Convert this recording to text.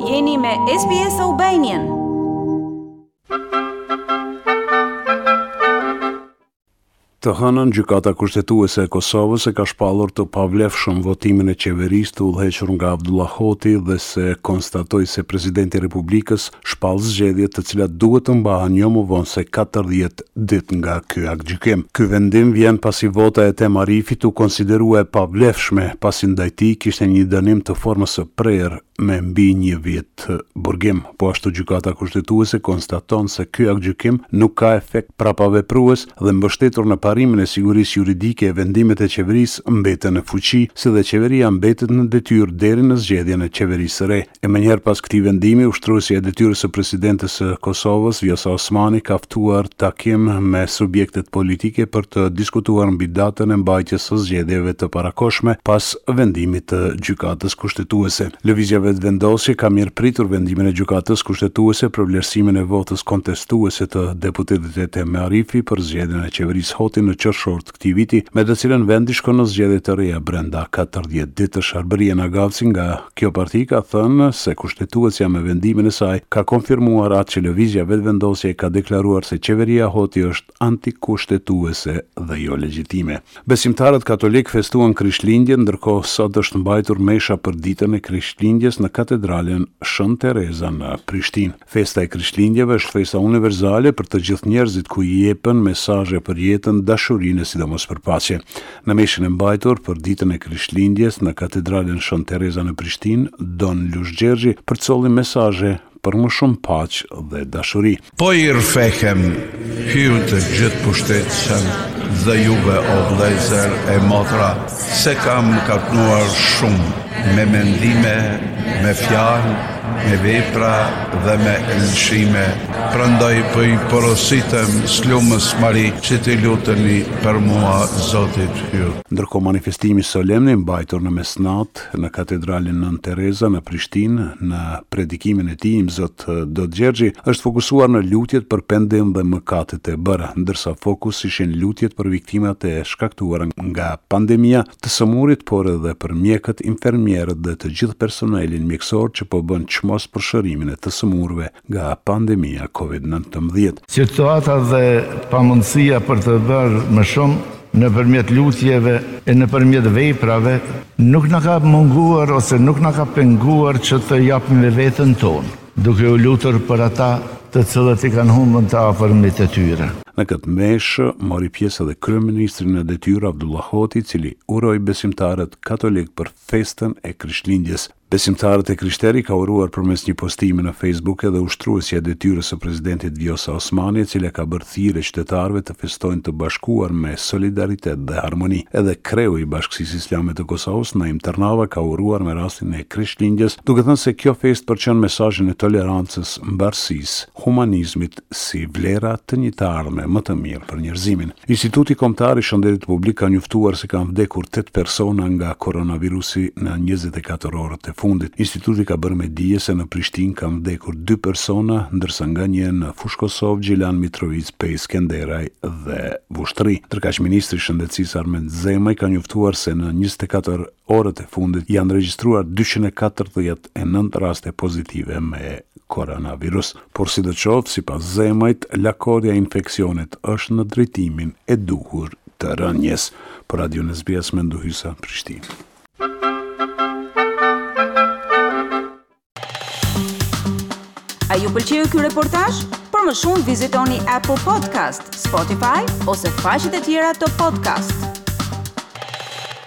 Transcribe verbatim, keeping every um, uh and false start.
Jeni me S B S Albanian. Të hënën, Gjykata Kushtetuese e Kosovës e ka shpallur të pavlefshëm votimin e qeverisë të udhëhequr nga Abdullah Hoti dhe se konstatoi se presidenti i Republikës shpall zgjedhjet, të cilat duhet të mbahen jo më vonë se katërdhjetë ditë nga ky aktgjykim. Ky vendim vjen pasi vota e Ethem Arifit u konsiderua e pavlefshme, pasi ndaj tij kishte një dënim të formës së prerë me mbi një vit burgim. Po ashtu, Gjykata Kushtetuese konstaton se ky aktgjykim nuk ka efekt prapaveprues dhe, mbështetur në parimin e sigurisë juridike, vendimet e qeverisë mbeten në fuqi, si dhe qeveria mbetet në detyrë deri në zgjedhjen e qeverisë së re. E menjëherë pas këtij vendimi, ushtruesja e detyrës së presidentes së Kosovës, Vjosa Osmani, ka ftuar takim me subjektet politike për të diskutuar mbi datën e mbajtjes së zgjedhjeve të parakohshme pas vendimit të Gjykatës Kushtetuese. Lëvizja Vetëvendosje ka mirëpritur vendimin e Gjykatës Kushtetuese për vlerësimin e votës kontestuese të deputetit Ethem Arifi për zgjedhjen e qeverisë Hoti në qershor të këtij viti, me të cilën vendi shkon në zgjedhje të reja brenda katërdhjetë ditësh. Arbërie Nagavci nga kjo parti ka thënë se Kushtetuesja me vendimin e saj ka konfirmuar atë që Lëvizja Vetëvendosje ka deklaruar, se qeveria Hoti është antikushtetuese dhe jo legjitime. Besimtarët katolik festuan Krishtlindjen, ndërkohë sot është mbajtur mesha për ditën e Krishtlindjes në katedralen Shën Tereza në Prishtinë. Festa e Krishtlindjeve është festa universale për të gjithë njerëzit, ku i jepen mesazhe për jetën, dashurinë e sidomos për paqe. Në meshën e mbajtur për ditën e Krishtlindjes në katedralen Shën Tereza në Prishtinë, Don Lush Gjergji përcolli mesazhe për më shumë paqe dhe dashuri. Po i rrëfehem Hyut të gjithë pushtetshëm dhe juve, o vëllezër e motra, se kam mëkatuar shumë me mendime, me fjalë, me vepra dhe me lëshime. Prandaj po i porositem s'lumës Mari që të luteni për mua Zotit Hyut. Ndërkohë, manifestimi solemn i mbajtur në mesnat në katedralin Nënë Tereza në Prishtinë, në predikimin e tij, Imzot Dod Gjergji është fokusuar në lutjet për pendim dhe mëkatet e bëra, ndërsa fokus ishin lutjet për viktimat e shkaktuara nga pandemia, të sëmurit, por edhe për mjekët, infermierët dhe të gjithë personelin mjekësor që po bën çmos për shërimin e të sëmurëve nga pandemia Covid nëntëmbëdhjetë. Situata dhe pamundësia për të bërë më shumë nëpërmjet lutjeve e nëpërmjet veprave nuk na ka munguar ose nuk na ka penguar që të japim me veten tonë, duke u lutur për ata të cilët i kanë humbën të afërmit e tyre. Në këtë meshë mori pjesë edhe kryeministri në detyrë Abdullah Hoti, i cili uroi besimtarët katolik për festën e Krishtlindjes. Besimtarët e krishteri ka uruar përmes një postimi në Facebook edhe ushtruesja e detyrës së presidentit Vjosa Osmani, e cila ka bërë thirrje qytetarëve të festojnë të bashkuar me solidaritet dhe harmoni. Edhe kreu i Bashkësisë Islame të Kosovës, Naim Tërnava, ka uruar me rastin e Krishtlindjes, duke thënë se kjo festë përçon mesazhin e tolerancës, mbarësisë, humanizmit si vlera të një të ardhme më të mirë për njerëzimin. Instituti Kombëtar i Shëndetit Publik ka njoftuar se kanë vdekur tetë persona nga koronavirusi në njëzet e katër orët e fundit. Instituti ka bërë me dije se në Prishtinë kanë vdekur dy persona, ndërsa nga një në Fushë-Kosovë, Gjilan, Mitrovicë, Pejë, Skenderaj dhe Vushtrri. Ndërkaq, ministri i Shëndetësisë Armend Zemaj ka njoftuar se në njëzet e katër orët e fundit janë regjistruar dyqind e katërdhjetë e nëntë raste pozitive me koronavirus. Por sidoqoftë, sipas Zemajt, lakorja e infeksionit është në drejtimin e duhur të rënjes. Për Radio S B S, Mendu Hysa, Prishtinë. A ju pëlqeu ky reportazh? Për më shumë vizitoni Apple Podcast, Spotify ose faqet e tjera të podcast.